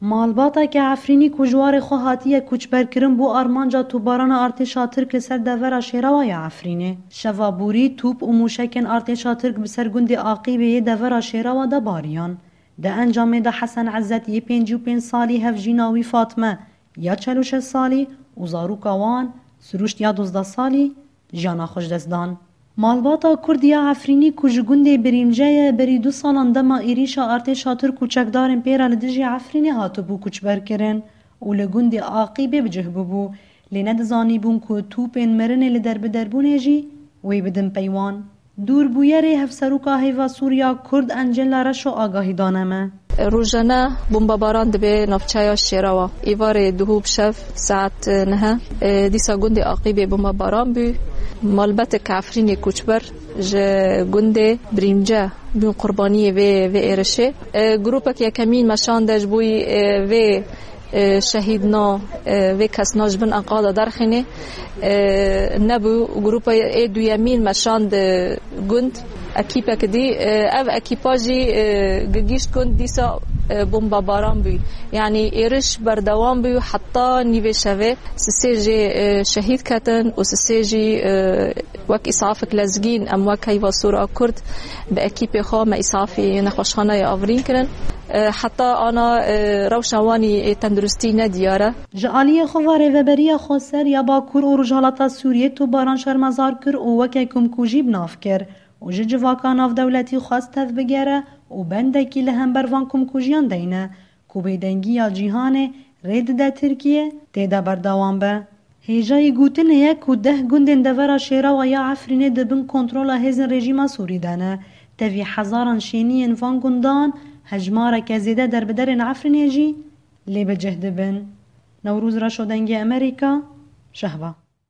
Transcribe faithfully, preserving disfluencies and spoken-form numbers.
Malbateke Efrînî ku ji warê xwe hatiye koçberkirin bo armanca tûbarana artêşa Tirk li ser devera şêrewa ya Efrînê. Şeva borî tûp û mûşekên artêşa Tirk bi ser gundê Aqîbê yê devera şêrewa de bariyan. Di encamê de Hesen Ezzet yê pêncî û pênc salî, hevjîna wî Fatme ya çel û şeş salî û zaroka wan Sirûşt ya duzdeh salî jiyana xwe ji dest dan. Malbata Kurd ya Efrînî ku ji gundê Birîmce ye, berî du salan dema êrîşa artêşa Tirk û çekdarên pê re li dijî Efrînê hatibû koçberkirin û li gundê Aqîbê bi cih bûbû, lê nedizanîbûn ku tûpên mirinê li derbiderbûnê jî wê bidin pey wan. Dûrbûyerê Hevseroka Hêva Sûriya Kurd Encela Reşo agahî dane me. Rojane bombabaran dibe navçeya Şêrewa. Êvarê duhû bi şev saet neh e, dîsa gundê Aqîbê bombabaran bû. Malbetek Efrînê koçber ji gundê Birîmce bûn qurbaniyê vê, vê êrişê. E, grûpek yekemîn me şande ji bo yî, e, vê, e, şehîdna, e, vê kesna ji bin enqada derxînê. E, nebû grûpa ê duyemîn me şand, e, gund. Ekîpek dî, e, ev ekîpa jî, e, gigîşt gund dîsa, e, bombabaran bû. Yanî êriş berdewam bû heta nîvê şevê. Sisê jê, e, şehîd ketin û sisê jî, e, wek îsafek lezgîn em wek Heyva Sor a Kurd bi ekîpê xwe me îsafî nexweşxaneyê Avrîn kirin. E, heta ana, e, rewşa wanî ê tenduristî ne diyar e. Ji aliyê xwe ve Rêveberiya Xweser ya Bakur û Rojhilata Sûriyê tûbaran şermezar kir û weke komkujî bi nav kir û ji civaka navdewletî xwest tevbigere û bendekî li hember van komkujiyan deyne ku bêdengiya cîhanê rê dide Tirkiye tê de berdewam be. Hêjayî gotinê ye ku deh gundên devera şêrewa ya Efrînê di bin kontrola hêzên rejîma Sûrî de ne. Tevî hezaran şêniyên van gundan, hejmareke zêde derbiderên Efrînê jî lê bi cih dibin. Newroz Reşo, Dengê Amerîka, Şehba.